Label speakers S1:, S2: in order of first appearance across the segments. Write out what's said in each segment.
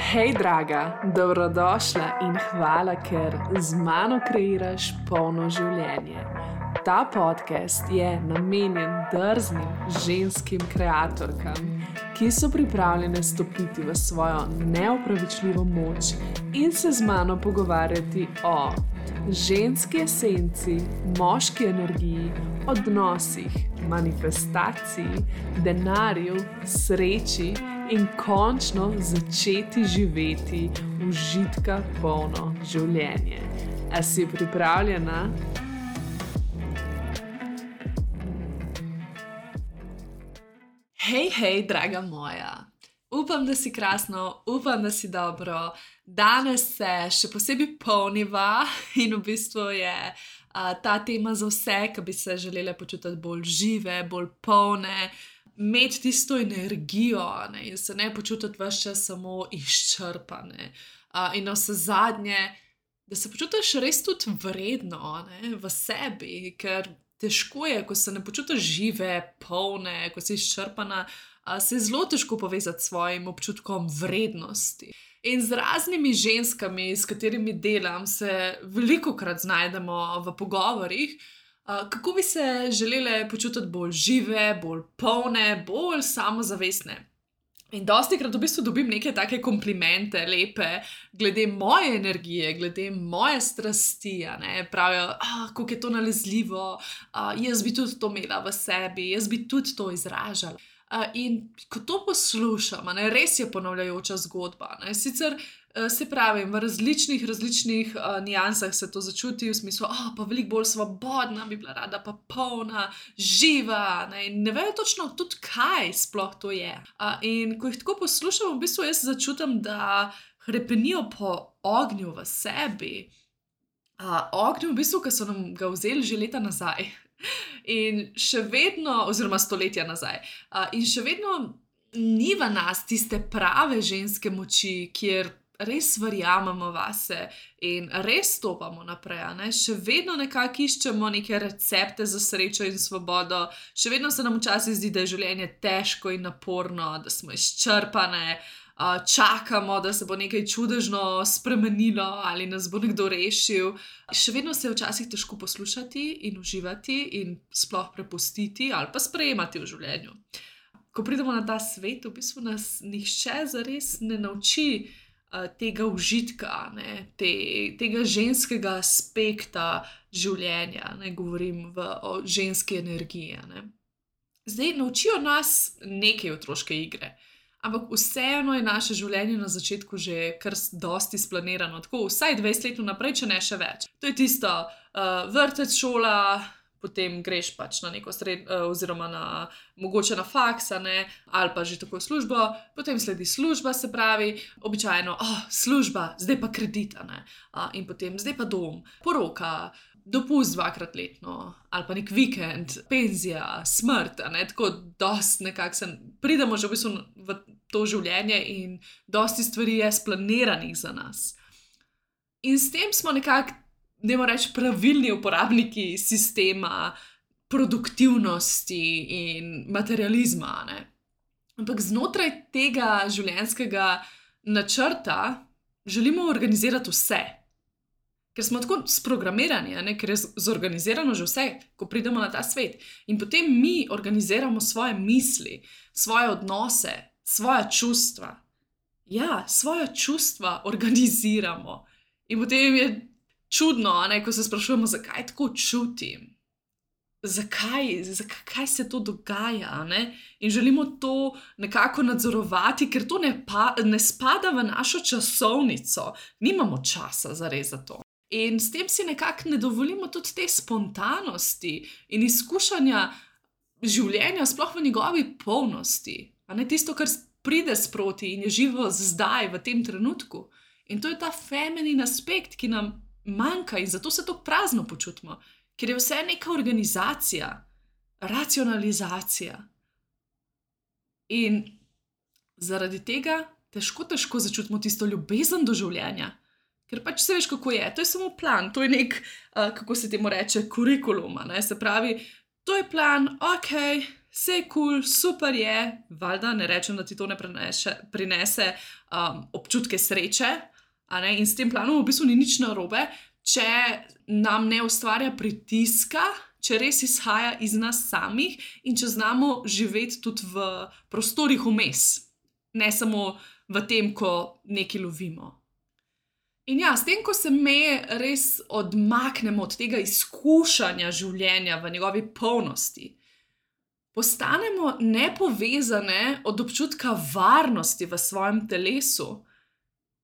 S1: Hej, draga, dobrodošla in hvala, ker z mano kreiraš polno življenje. Ta podcast je namenjen drznim ženskim kreatorkam, ki so pripravljene stopiti v svojo neopravičljivo moč in se z mano pogovarjati o ženski esenci, moški energiji, odnosih, manifestaciji, denarju, sreči in končno začeti živeti užitka polno življenje. A si pripravljena? Hej, draga moja. Upam, da si krasno, upam, da si dobro. Danes se še posebej polniva in v bistvu je ta tema za vse, ki bi se želele počutiti bolj žive, bolj polne, imeti tisto energijo, ne, in se ne počutiti ves čas samo izčrpane. In navsezadnje, da se počutiš res tudi vredno, ne, v sebi, ker težko je, ko se ne počutiš žive, polne, ko si izčrpana, se je zelo težko povezati s svojim občutkom vrednosti. In z raznimi ženskami, s katerimi delam, se velikokrat znajdemo v pogovorih, kako bi se želele počutiti bolj žive, bolj polne, bolj samozavestne. In dostikrat v bistvu dobim neke take komplimente, lepe, glede moje energije, glede moje strasti, ne, pravijo, kako je to nalezljivo, jaz bi tudi to imela v sebi, jaz bi tudi to izražala. In ko to poslušam, ne, res je ponavljajoča zgodba, ne, sicer se pravim, v različnih niansah se to začuti, v smislu, pa veliko bolj svobodna bi bila rada, pa polna, živa, ne, in ne vejo točno tudi, kaj sploh to je. In ko jih tako poslušam, v bistvu jaz začutim, da hrepenijo po ognju v sebi. Ognju v bistvu, ki so nam ga vzeli že leta nazaj. In še vedno, oziroma stoletja nazaj, in še vedno ni v nas tiste prave ženske moči, kjer res verjamemo vase in res stopamo naprej, ne? Še vedno nekako iščemo neke recepte za srečo in svobodo, še vedno se nam včasih zdi, da je življenje težko in naporno, da smo izčrpane, čakamo, da se bo nekaj čudežno spremenilo ali nas bo nekdo rešil. Še vedno se je včasih težko poslušati in uživati in sploh prepustiti ali pa sprejemati v življenju. Ko pridemo na ta svet, v bistvu nas nihče zares ne nauči tega užitka, ne, tega ženskega aspekta življenja, ne, govorim o ženski energiji, ne. Zdaj, naučijo nas neke otroške igre, ampak vseeno je naše življenje na začetku že kar dosti splanirano, tako vsaj 20 let vnaprej, če ne še več. To je tisto vrtec, šola, potem greš pač na neko oziroma mogoče na faks, ne, ali pa že tako službo, potem sledi služba, se pravi, običajno, služba, zdaj pa kredit, ne, in potem zdaj pa dom, poroka, dopust 2-krat letno, ali pa nek vikend, penzija, smrt, ne, tako dosti nekako pridemo že v bistvu v to življenje in dosti stvari je splaniranih za nas. In s tem smo nekako, dajmo reči, pravilni uporabniki sistema produktivnosti in materializma, ne. Ampak znotraj tega življenjskega načrta želimo organizirati vse. Ker smo tako sprogramirani, ne, ker je zorganizirano že vse, ko pridemo na ta svet. In potem mi organiziramo svoje misli, svoje odnose, svoja čustva. Ja, svoja čustva organiziramo. In potem je čudno, ne, ko se sprašujemo, zakaj tako čutim. Zakaj se to dogaja, ne? In želimo to nekako nadzorovati, ker to ne spada v našo časovnico. Nimamo časa zares za to. In s tem si nekako ne dovolimo tudi te spontanosti in izkušanja življenja sploh v njegovi polnosti. A ne tisto, kar pride sproti in je živo zdaj, v tem trenutku. In to je ta feminin aspekt, ki nam manjka in zato se tako prazno počutimo. Ker je vse neka organizacija, racionalizacija. In zaradi tega težko začutimo tisto ljubezen do življenja. Ker pač se veš, kako je. To je samo plan, to je nek, kako se temu reče, kurikulum, ne? Se pravi, to je plan, vse je kul, super je, valjda, ne rečem, da ti to ne prinese občutke sreče, a ne, in s tem planom v bistvu ni nič narobe, če nam ne ustvarja pritiska, če res izhaja iz nas samih in če znamo živeti tudi v prostorih vmes, ne samo v tem, ko nekaj lovimo. In ja, s tem, ko se me res odmaknemo od tega izkušanja življenja v njegovi polnosti, postanemo nepovezane od občutka varnosti v svojem telesu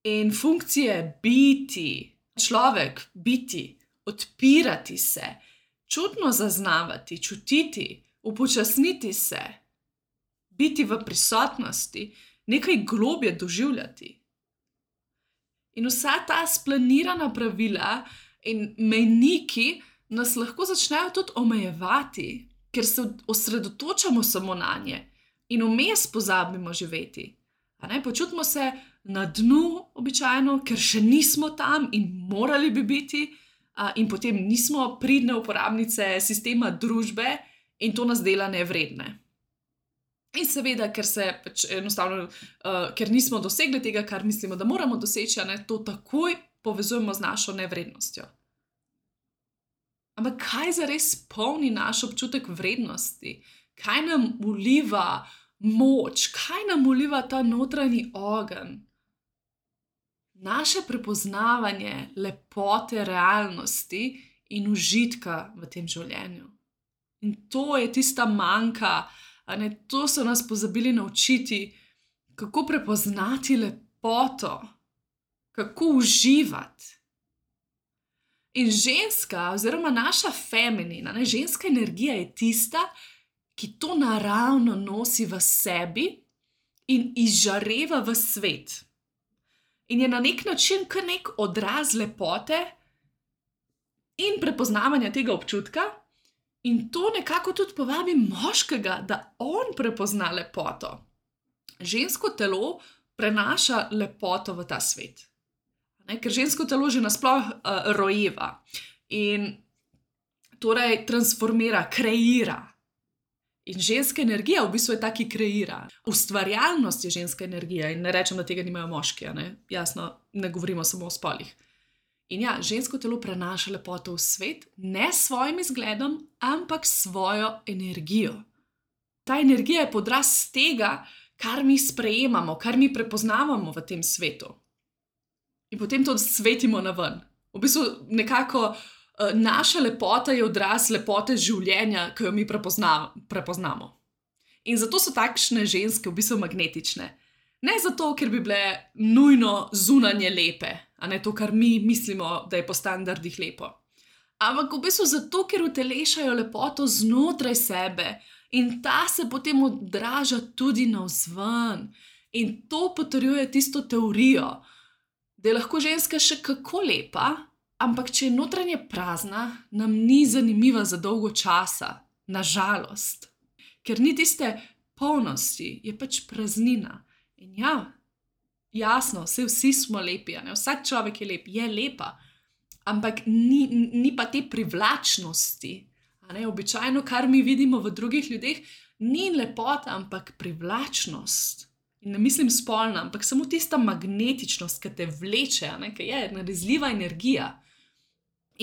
S1: in funkcije biti, človek biti, odpirati se, čutno zaznavati, čutiti, upočasniti se, biti v prisotnosti, nekaj globje doživljati. In vsa ta splanirana pravila in mejniki nas lahko začnejo tudi omejevati, ker se osredotočamo samo nanje in vmes pozabimo živeti. Počutimo se na dnu običajno, ker še nismo tam in morali bi biti, in potem nismo pridne uporabnice sistema družbe in to nas dela nevredne. In seveda, ker se enostavno, ker nismo dosegli tega, kar mislimo, da moramo doseči, to takoj povezujemo z našo nevrednostjo. Ampak kaj zares polni naš občutek vrednosti? Kaj nam vliva moč? Kaj nam vliva ta notranji ogenj? Naše prepoznavanje lepote realnosti in užitka v tem življenju. In to je tista manjka, to so nas pozabili naučiti, kako prepoznati lepoto, kako uživati. In ženska oziroma naša feminina, ženska energija je tista, ki to naravno nosi v sebi in izžareva v svet. In je na nek način kar nek odraz lepote in prepoznavanja tega občutka. In to nekako tudi povabi moškega, da on prepozna lepoto. Žensko telo prenaša lepoto v ta svet. Ker žensko telo že nasploh rojeva in torej transformira, kreira. In ženska energija v bistvu je ta, ki kreira. Ustvarjalnost je ženska energija in ne rečem, da tega nimajo moški, jasno, ne govorimo samo o spolih. In ja, žensko telo prenaša lepoto v svet, ne s svojim izgledom, ampak svojo energijo. Ta energija je podraz tega, kar mi sprejemamo, kar mi prepoznavamo v tem svetu. In potem to svetimo na ven. V bistvu nekako naša lepota je odraz lepote življenja, ki jo mi prepoznamo. In zato so takšne ženske v bistvu magnetične. Ne zato, ker bi bile nujno zunanje lepe, to, kar mi mislimo, da je po standardih lepo. Ampak v bistvu zato, ker utelešajo lepoto znotraj sebe in ta se potem odraža tudi navzven. In to potrjuje tisto teorijo, da je lahko ženska še kako lepa, ampak če je notranje prazna, nam ni zanimiva za dolgo časa, nažalost. Ker ni tiste polnosti, je pač praznina. In ja, jasno, vsi smo lepi, vsak človek je lep, je lepa, ampak ni pa te privlačnosti. Običajno, kar mi vidimo v drugih ljudeh, ni lepota, ampak privlačnost. In ne mislim spolna, ampak samo tista magnetičnost, ki te vleče, ki je nalezljiva energija.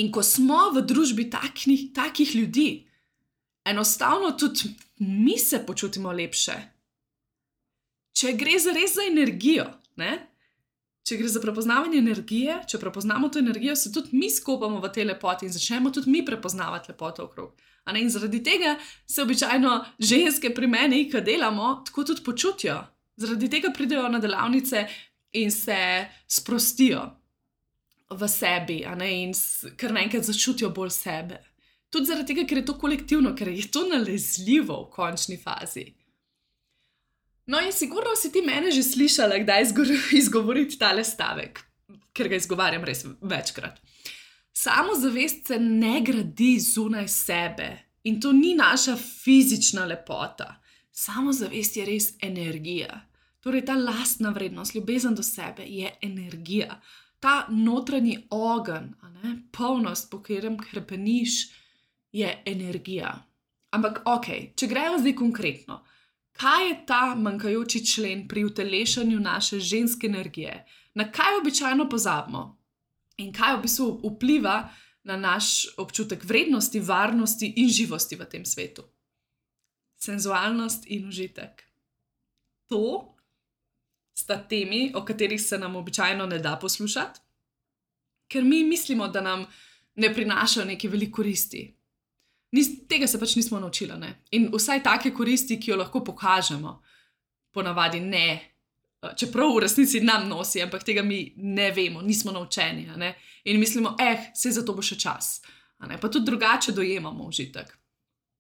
S1: In ko smo v družbi takih ljudi, enostavno tudi mi se počutimo lepše. Če gre res za energijo, če gre za prepoznavanje energije, če prepoznamo to energijo, se tudi mi skopamo v tej lepoti in začnemo tudi mi prepoznavati lepoto okrog. In zaradi tega se običajno ženske pri meni, ki delamo, tako tudi počutijo. Zaradi tega pridejo na delavnice in se sprostijo v sebi in kar naenkrat začutijo bolj sebe. Tudi zaradi tega, ker je to kolektivno, ker je to nalezljivo v končni fazi. No in sigurno si ti mene že slišala, kdaj izgovoriti tale stavek, ker ga izgovarjam res večkrat. Samozavest se ne gradi zunaj sebe in to ni naša fizična lepota. Samozavest je res energija. Torej ta lastna vrednost, ljubezen do sebe je energija. Ta notranji ogenj, polnost, po katerem krepeniš, je energija. Ampak ok, če gremo zdaj konkretno, kaj je ta manjkajoči člen pri utelešanju naše ženske energije? Na kaj običajno pozabimo? In kaj v bistvu vpliva na naš občutek vrednosti, varnosti in živosti v tem svetu? Senzualnost in užitek. To sta temi, o katerih se nam običajno ne da poslušati, ker mi mislimo, da nam ne prinašajo neke velike koristi. Tega se pač nismo naučili, ne? In vsaj take koristi, ki jo lahko pokažemo, ponavadi ne, čeprav v resnici nam nosi, ampak tega mi ne vemo, nismo naučeni, ne? In mislimo, saj za to bo še čas, ne? Pa tudi drugače dojemamo užitek.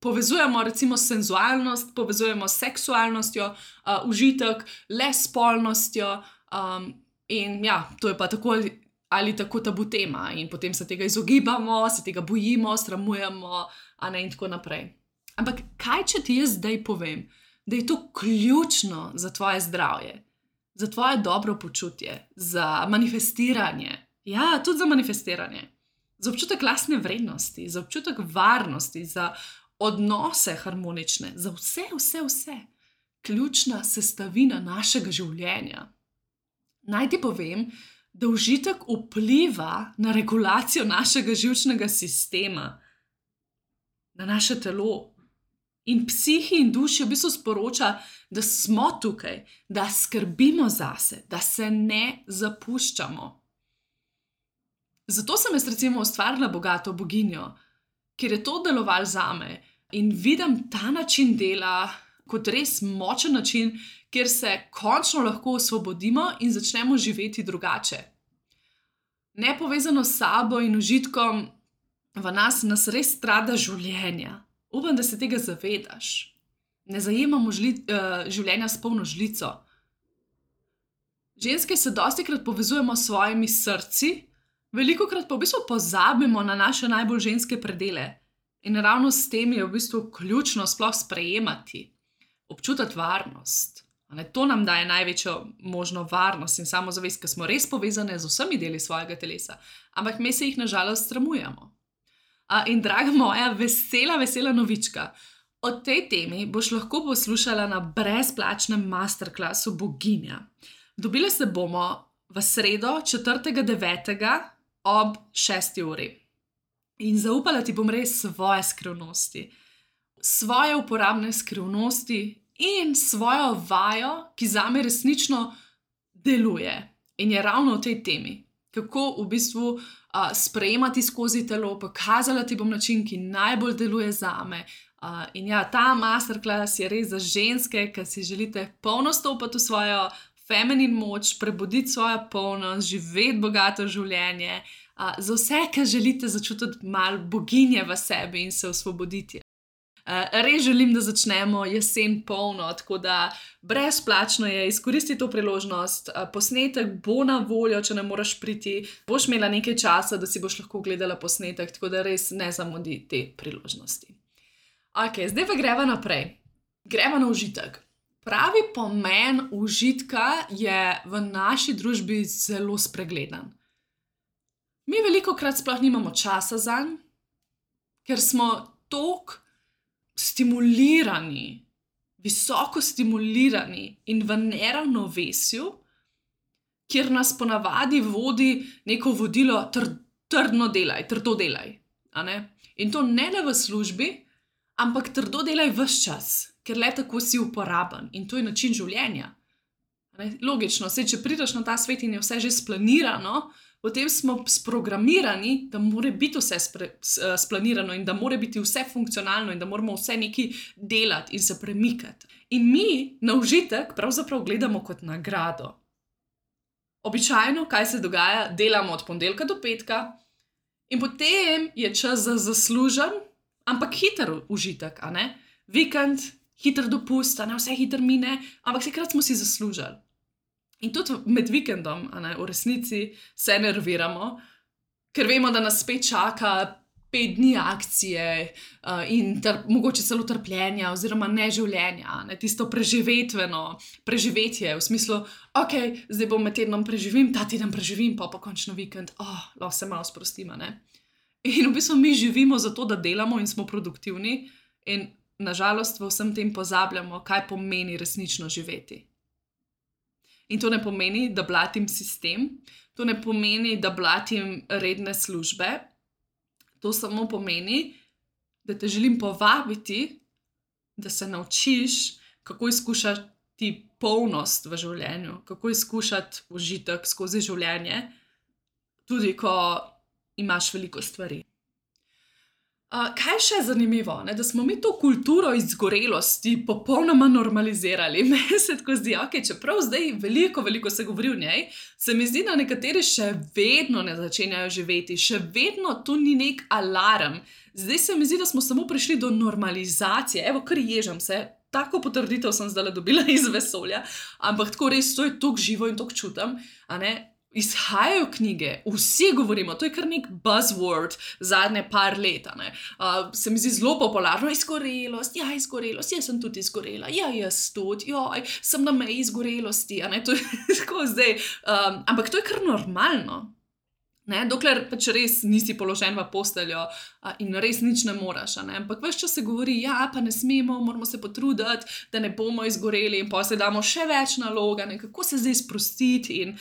S1: Povezujemo recimo senzualnost, povezujemo s seksualnostjo, užitek, le s spolnostjo, in ja, to je pa tako ali tako tabu tema in potem se tega izogibamo, se tega bojimo, sramujemo, in tako naprej. Ampak kaj, če ti jaz zdaj povem, da je to ključno za tvoje zdravje, za tvoje dobro počutje, za manifestiranje, ja, tudi za manifestiranje, za občutek lastne vrednosti, za občutek varnosti, za odnose harmonične, za vse, ključna sestavina našega življenja. Naj ti povem, da užitek vpliva na regulacijo našega živčnega sistema, na naše telo in psihi in duši v bistvu sporoča, da smo tukaj, da skrbimo zase, da se ne zapuščamo. Zato sem jaz recimo ustvarila bogato boginjo, ker je to delovalo zame in vidim ta način dela kot res močen način, kjer se končno lahko osvobodimo in začnemo živeti drugače. Nepovezano s sabo in užitkom v nas res strada življenja. Upam, da se tega zavedaš. Ne zajemamo življenja s polno žlico. Ženske se dostikrat povezujemo s svojimi srci, velikokrat pa v bistvu pozabimo na naše najbolj ženske predele. In ravno s tem je v bistvu ključno sploh sprejemati, občutiti varnost. To nam daje največjo možno varnost in samozavest, ker smo res povezane z vsemi deli svojega telesa, ampak mi se jih na žalost sramujemo. In draga moja, vesela novička, o tej temi boš lahko poslušala na brezplačnem masterclassu Boginja. Dobile se bomo v sredo 4.9. ob 6. uri. In zaupala ti bom res svoje skrivnosti, svoje uporabne skrivnosti in svojo vajo, ki zame resnično deluje in je ravno v tej temi. Kako v bistvu sprejemati skozi telo, pokazala ti bom način, ki najbolj deluje zame. In ja, ta masterclass je res za ženske, ki si želite polno stopiti v svojo feminin moč, prebuditi svojo polnost, živeti bogato življenje, za vse, ki želite začutiti malo boginje v sebi in se osvoboditi. Res želim, da začnemo jesen polno, tako da brezplačno je, izkoristi to priložnost, posnetek bo na voljo, če ne moreš priti, boš imela nekaj časa, da si boš lahko gledala posnetek, tako da res ne zamudi te priložnosti. Ok, zdaj pa greva naprej. Greva na užitek. Pravi pomen užitka je v naši družbi zelo spregledan. Mi velikokrat sploh nimamo časa zanj, ker smo toliko stimulirani, visoko stimulirani in v neravnovesju, kjer nas ponavadi vodi neko vodilo trdo delaj. In to ne le v službi, ampak trdo delaj ves čas, ker le tako si uporaben in to je način življenja. Logično, če prideš na ta svet in je vse že splanirano, potem smo sprogramirani, da mora biti vse splanirano in da mora biti vse funkcionalno in da moramo vse nekaj delati in se premikati. In mi na užitek pravzaprav gledamo kot nagrado. Običajno, kaj se dogaja, delamo od ponedeljka do petka in potem je čas za zaslužen, ampak hiter užitek, Vikend, hiter dopust, vse hiter mine, ampak vsekrat smo si zaslužili. In tudi med vikendom, v resnici se nerviramo, ker vemo, da nas spet čaka 5 dni akcije in mogoče celo trpljenja oziroma neživljenja, tisto preživetje v smislu, ok, zdaj bom med tednom preživim, ta teden preživim, pa končno vikend, lahko se malo sprostim, In v bistvu mi živimo zato, da delamo in smo produktivni in nažalost v vsem tem pozabljamo, kaj pomeni resnično živeti. In to ne pomeni, da blatim sistem, to ne pomeni, da blatim redne službe, to samo pomeni, da te želim povabiti, da se naučiš, kako izkušati polnost v življenju, kako izkušati užitek skozi življenje, tudi ko imaš veliko stvari. Kaj še je zanimivo, ne? Da smo mi to kulturo izgorelosti popolnoma normalizirali. Meni se tako zdi, čeprav zdaj veliko se govori o njej, se mi zdi, da nekateri še vedno ne začenjajo živeti, še vedno to ni nek alarm. Zdaj se mi zdi, da smo samo prišli do normalizacije. Evo, kar ježam se, tako potrditev sem zdaj dobila iz vesolja, ampak tako res, to je toliko živo in toliko čutim, a ne? Izhajajo knjige, vsi govorimo, to je kar nek buzzword zadnje par let, ne. Se mi zdi zelo popularno, izgorelost, jaz sem tudi izgorela, jaz tudi, sem na meji izgorelosti, a ne, to je tako zdaj, ampak to je kar normalno, ne, dokler pač res nisi položen v posteljo in res nič ne moraš, a ne, ampak ves čas se govori, pa ne smemo, moramo se potruditi, da ne bomo izgoreli in potem se damo še več nalog, ne, kako se zdaj sprostiti in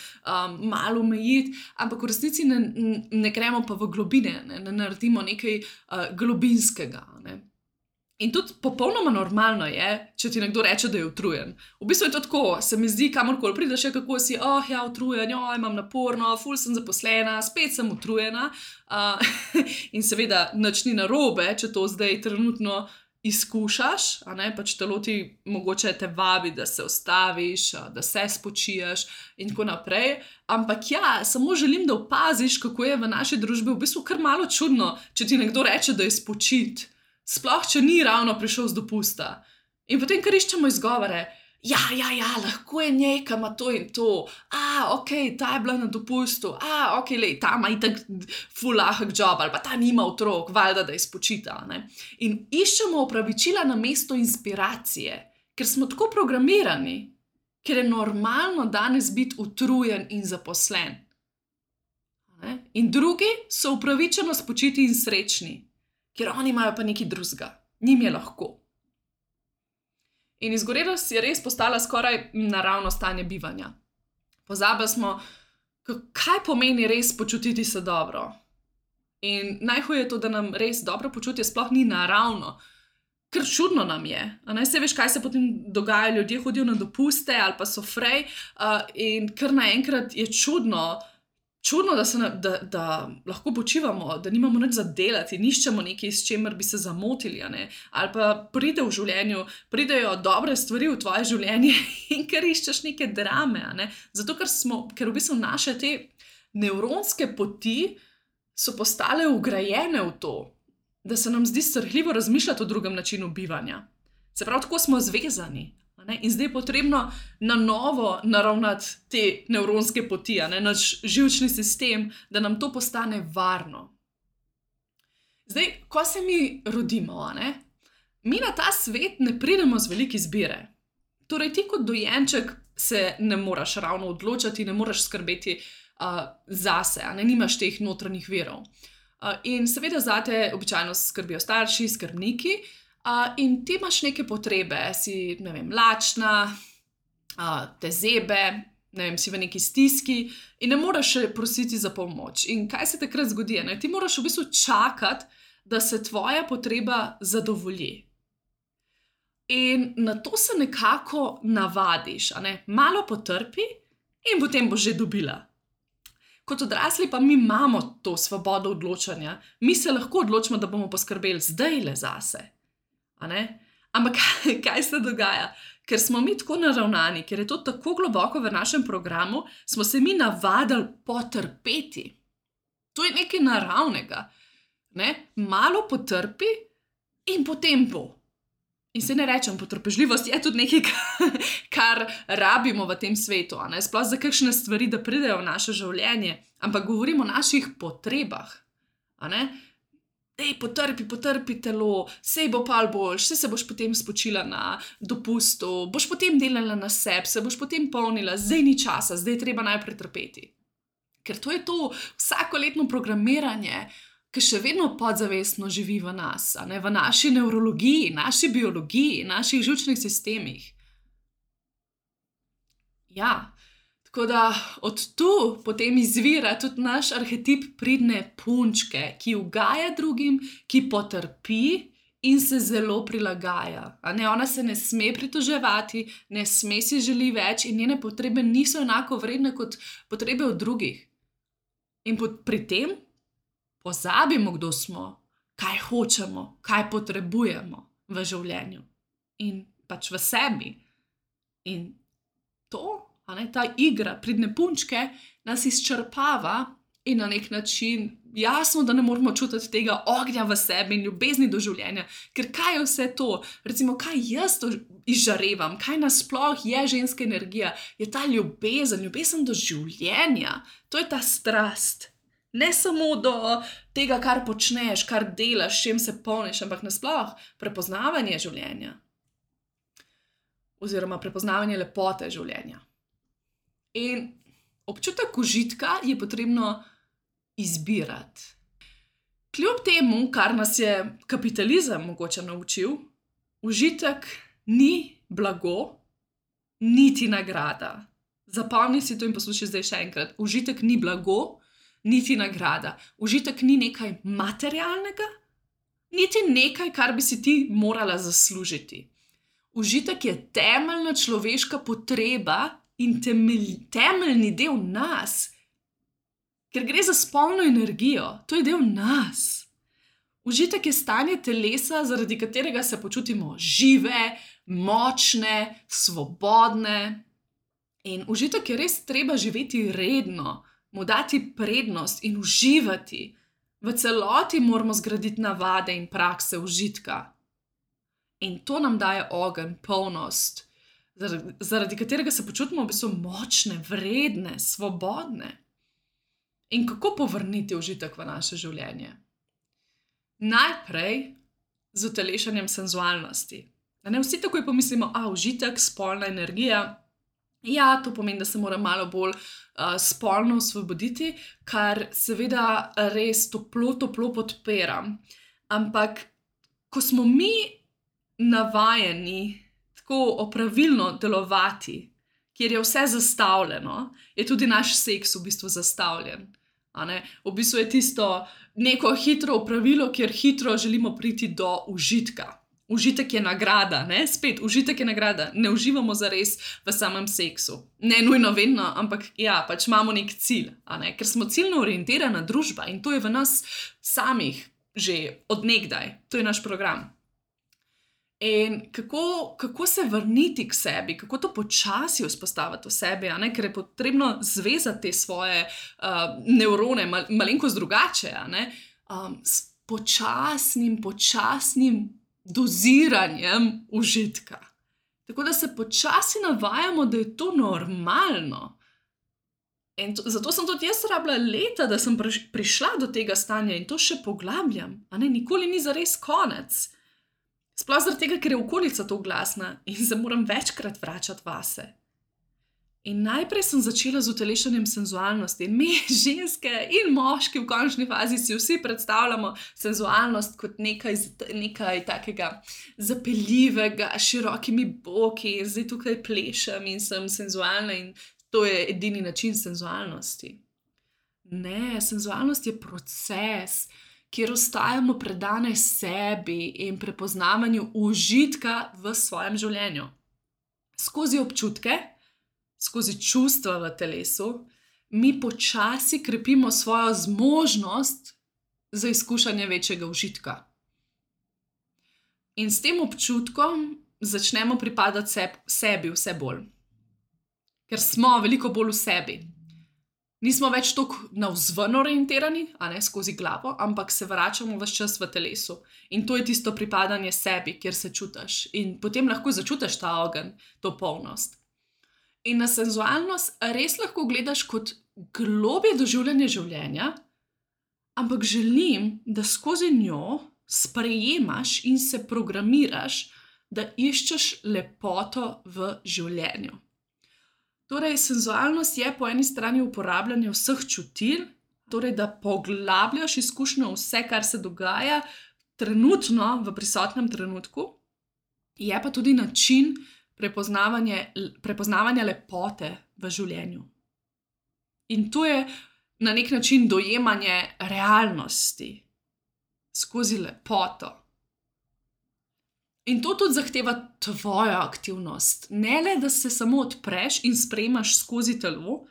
S1: malo omejiti, ampak v resnici ne gremo pa v globine, ne naredimo nekaj globinskega, ne. In tudi popolnoma normalno je, če ti nekdo reče, da je utrujen. V bistvu je to tako, se mi zdi, kamorkoli prideš, kako si, utrujen, imam naporno, ful sem zaposlena, spet sem utrujena. In seveda nič ni narobe, če to zdaj trenutno izkušaš, a ne, pač telo ti mogoče te vabi, da se ustaviš, da se spočiješ in tako naprej. Ampak samo želim, da opaziš, kako je v naši družbi v bistvu kar malo čudno, če ti nekdo reče, da je spočit. Sploh, če ni ravno prišel z dopusta. In potem kar iščemo izgovore. Lahko je njej, ki ima to in to. Ta je bila na dopustu. Ta ima itak ful lahek job, ali pa ta nima otrok, valjda, da je spočita, ne. In iščemo opravičila namesto inspiracije, ker smo tako programirani, ker je normalno danes biti utrujen in zaposlen. Ne? In drugi so upravičeno spočiti in srečni. Ker oni imajo pa nekaj drugega, njim je lahko. In izgorelost je res postala skoraj naravno stanje bivanja. Pozabili smo, kaj pomeni res počutiti se dobro. In najhuje je to, da nam res dobro počutje sploh ni naravno, ker čudno nam je. Saj veš, kaj se potem dogaja, ljudje hodijo na dopuste ali pa so frej in kar naenkrat je čudno, da lahko počivamo, da nimamo nič za delati, niščemo nekaj, s čemer bi se zamotili, a ne? Ali pa pride v življenju, pridejo dobre stvari v tvoje življenje in ker iščeš neke drame, a ne? Zato, ker v bistvu naše te nevronske poti so postale vgrajene v to, da se nam zdi srhljivo razmišljati o drugem načinu bivanja. Se pravi, tako smo zvezani. In zdaj je potrebno na novo naravnati te nevronske poti, naš živčni sistem, da nam to postane varno. Zdaj, ko se mi rodimo, mi na ta svet ne pridemo z velike izbire. Torej, ti kot dojenček se ne moraš ravno odločati, ne moraš skrbeti zase, nimaš teh notranjih virov. In seveda zate običajno skrbijo starši, skrbniki, in ti imaš neke potrebe, si, ne vem, lačna, te zebe, ne vem, si v neki stiski in ne moraš še prositi za pomoč. In kaj se takrat zgodi? Ti moraš v bistvu čakati, da se tvoja potreba zadovolji. In na to se nekako navadiš, malo potrpi in potem boš že dobila. Kot odrasli pa mi imamo to svobodo odločanja. Mi se lahko odločimo, da bomo poskrbeli zdajle zase. Ampak kaj se dogaja? Ker smo mi tako naravnani, ker je to tako globoko v našem programu, smo se mi navadili potrpeti. To je nekaj naravnega. Malo potrpi in potem bo. In se ne rečem, potrpežljivost je tudi nekaj, kar rabimo v tem svetu. Sploh za kakšne stvari, da pridejo v naše življenje. Ampak govorimo o naših potrebah. Potrpi telo, sej bo pol boljš, sej se boš potem spočila na dopustu, boš potem delala na sebi, se boš potem polnila, zdaj ni časa, zdaj je treba najprej trpeti. Ker to je to vsakoletno programiranje, ki še vedno podzavestno živi v nas, v naši nevrologiji, naši biologiji, naših žučnih sistemih. Ja, tako da od tu potem izvira tudi naš arhetip pridne punčke, ki ugaja drugim, ki potrpi in se zelo prilagaja. Ona se ne sme pritoževati, ne sme si želi več in njene potrebe niso enako vredne kot potrebe od drugih. In pri tem pozabimo, kdo smo, kaj hočemo, kaj potrebujemo v življenju in pač v sebi. In to, ta igra pridne punčke nas izčrpava in na nek način jasno, da ne moramo čutiti tega ognja v sebi in ljubezni do življenja, ker kaj je vse to? Recimo, kaj jaz to izžarevam, kaj nasploh je ženska energija? Je ta ljubezen do življenja, to je ta strast. Ne samo do tega, kar počneš, kar delaš, s čim se polniš, ampak nasploh prepoznavanje življenja. Oziroma prepoznavanje lepote življenja. In občutek užitka je potrebno izbirati. Kljub temu, kar nas je kapitalizem mogoče naučil, užitek ni blago, niti nagrada. Zapomni si to in poslušaj zdaj še enkrat. Užitek ni blago, niti nagrada. Užitek ni nekaj materialnega, niti nekaj, kar bi si ti morala zaslužiti. Užitek je temeljna človeška potreba in temeljni del nas, ker gre za spolno energijo, to je del nas. Užitek je stanje telesa, zaradi katerega se počutimo žive, močne, svobodne. In užitek je res treba živeti redno, mu dati prednost in uživati. V celoti moramo zgraditi navade in prakse užitka. In to nam daje ogenj, polnost, zaradi katerega se počutimo v bistvu močne, vredne, svobodne. In kako povrniti užitek v naše življenje? Najprej z utelešanjem senzualnosti. Vsi takoj pomislimo, užitek, spolna energija. Ja, to pomeni, da se moram malo bolj spolno osvoboditi, kar seveda res toplo podpiram. Ampak, ko smo mi navajeni tako opravilno delovati, kjer je vse zastavljeno, je tudi naš seks v bistvu zastavljen. V bistvu je tisto neko hitro opravilo, kjer hitro želimo priti do užitka. Užitek je nagrada, spet, užitek je nagrada, ne uživamo zares v samem seksu. Ne nujno vedno, ampak ja, pač imamo nek cilj, ker smo ciljno orientirana družba in to je v nas samih že od nekdaj, to je naš program. In kako se vrniti k sebi, kako to počasi vzpostaviti v sebi, ker je potrebno zvezati te svoje nevrone malenkost drugače, s počasnim doziranjem užitka. Tako da se počasi navajamo, da je to normalno. In zato sem tudi jaz rabila leta, da sem prišla do tega stanja in to še poglabljam. Nikoli ni zares konec. Sploh zaradi tega, ker je okolica to glasna in se moram večkrat vračati vase. In najprej sem začela z utelešanjem senzualnosti. Mi, ženske in moški v končni fazi, si vsi predstavljamo senzualnost kot nekaj takega zapeljivega, širokimi boki in zdaj tukaj plešem in sem senzualna in to je edini način senzualnosti. Ne, senzualnost je proces, kjer ostajamo predane sebi in prepoznavanju užitka v svojem življenju. Skozi občutke, skozi čustva v telesu, mi počasi krepimo svojo zmožnost za izkušanje večjega užitka. In s tem občutkom začnemo pripadati sebi vse bolj. Ker smo veliko bolj v sebi. Nismo več toliko navzven orientirani, skozi glavo, ampak se vračamo ves čas v telesu. In to je tisto pripadanje sebi, kjer se čutiš. In potem lahko začutiš ta ogenj, to polnost. In na senzualnost res lahko gledaš kot globje doživljanje življenja, ampak želim, da skozi njo sprejemaš in se programiraš, da iščeš lepoto v življenju. Torej, senzualnost je po eni strani uporabljanje vseh čutil, torej da poglabljaš izkušnjo vse, kar se dogaja trenutno, v prisotnem trenutku, je pa tudi način prepoznavanja lepote v življenju. In to je na nek način dojemanje realnosti skozi lepoto. In to tudi zahteva tvojo aktivnost. Ne le, da se samo odpreš in sprejmaš skozi telo,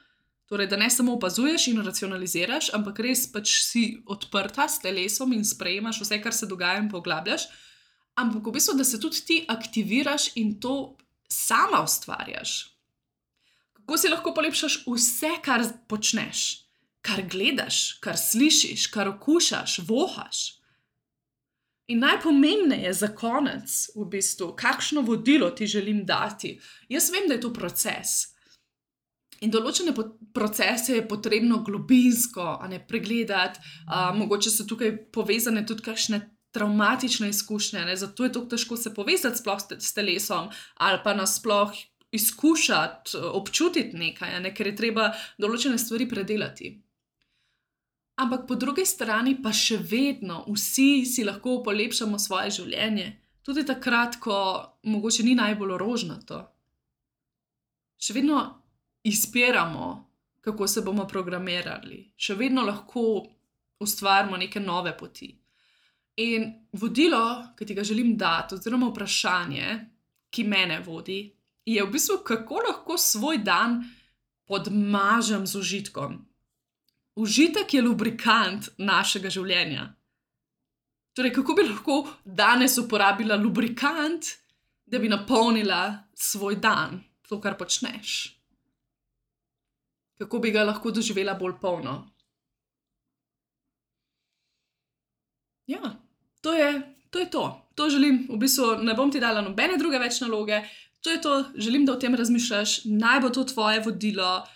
S1: torej da ne samo opazuješ in racionaliziraš, ampak res pač si odprta s telesom in sprejmaš vse, kar se dogaja in poglabljaš, ampak v bistvu, da se tudi ti aktiviraš in to sama ustvarjaš. Kako si lahko polepšaš vse, kar počneš, kar gledaš, kar slišiš, kar okušaš, vohaš. In najpomembneje za konec, v bistvu, kakšno vodilo ti želim dati. Jaz vem, da je to proces. In določene procese je potrebno globinsko pregledati, mogoče so tukaj povezane tudi kakšne travmatične izkušnje, zato je tako težko se povezati sploh s telesom ali pa nasploh izkušati, občutiti nekaj, ker je treba določene stvari predelati. Ampak po drugi strani pa še vedno vsi si lahko polepšamo svoje življenje, tudi takrat, ko mogoče ni najbolj rožnato. Še vedno izbiramo, kako se bomo programirali, še vedno lahko ustvarimo neke nove poti. In vodilo, ki ti ga želim dati, oziroma vprašanje, ki mene vodi, je v bistvu, kako lahko svoj dan podmažem z užitkom. Užitek je lubrikant našega življenja. Torej, kako bi lahko danes uporabila lubrikant, da bi napolnila svoj dan, to, kar počneš? Kako bi ga lahko doživela bolj polno? Ja, to je to. To želim, v bistvu ne bom ti dala nobene druge več naloge, to je to, želim, da o tem razmišljaš, naj bo to tvoje vodilo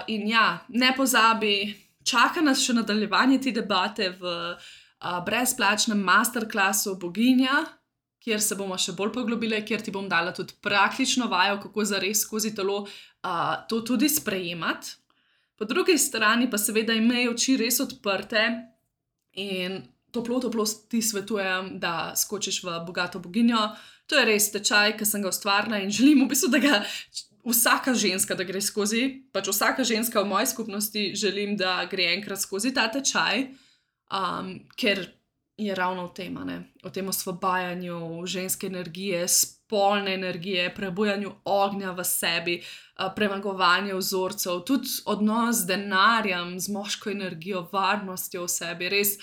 S1: in ja, ne pozabi, čaka nas še nadaljevanje te debate v brezplačnem masterclassu Boginja, kjer se bomo še bolj poglobile, kjer ti bom dala tudi praktično vajo, kako zares skozi telo to tudi sprejemati. Po drugi strani pa seveda imej oči res odprte in toplo ti svetujem, da skočiš v Bogato boginjo. To je res tečaj, ki sem ga ustvarila in želim v bistvu, da ga vsaka ženska, da gre skozi, pač vsaka ženska v moji skupnosti želim, da gre enkrat skozi ta tečaj, ker je ravno v tem, o tem osvobajanju ženske energije, spolne energije, prebujanju ognja v sebi, premagovanju vzorcev, tudi odnos z denarjem, z moško energijo, varnostjo v sebi. Res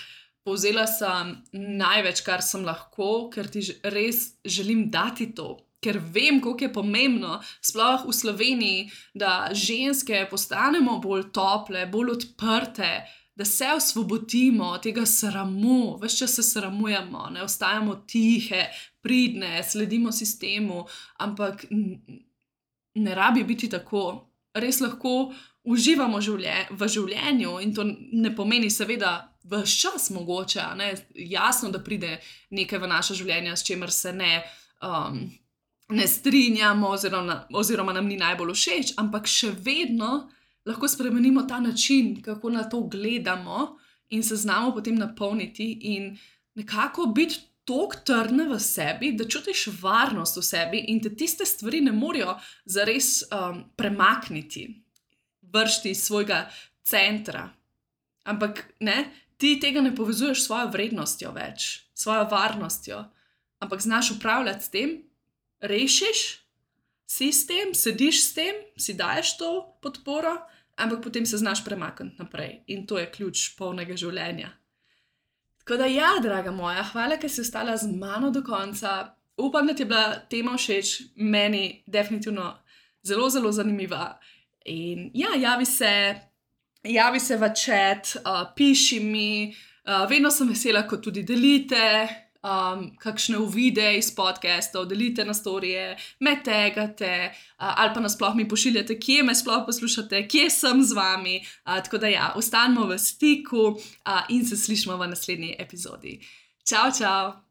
S1: povzela sem največ, kar sem lahko, ker ti res želim dati to. Ker vem, koliko je pomembno, sploh v Sloveniji, da ženske postanemo bolj tople, bolj odprte, da se osvobodimo tega sramu, ves čas se sramujemo, ne ostajamo tihe, pridne, sledimo sistemu, ampak ne rabi biti tako. Res lahko uživamo v življenju in to ne pomeni seveda ves čas mogoče, jasno, da pride nekaj v naše življenje, s čemer se ne strinjamo oziroma nam ni najbolj všeč, ampak še vedno lahko spremenimo ta način, kako na to gledamo in se znamo potem napolniti in nekako biti toliko trdna v sebi, da čutiš varnost v sebi in te tiste stvari ne morejo zares premakniti, vršiti iz svojega centra. Ampak ti tega ne povezuješ s svojo vrednostjo več, s svojo varnostjo, ampak znaš upravljati s tem, rešiš, si s tem, sediš s tem, si daješ to podporo, ampak potem se znaš premakniti naprej. In to je ključ polnega življenja. Tako da ja, draga moja, hvala, ker si ostala z mano do konca. Upam, da ti je bila tema všeč, meni definitivno zelo, zelo zanimiva. In ja, javi se v chat, piši mi, vedno sem vesela, ko tudi delite kakšne uvide iz podcastov, delite na storije, me tagate ali pa nasploh mi pošiljate, kje me sploh poslušate, kje sem z vami. Tako da ja, ostanimo v stiku in se slišimo v naslednji epizodi. Čau, čau!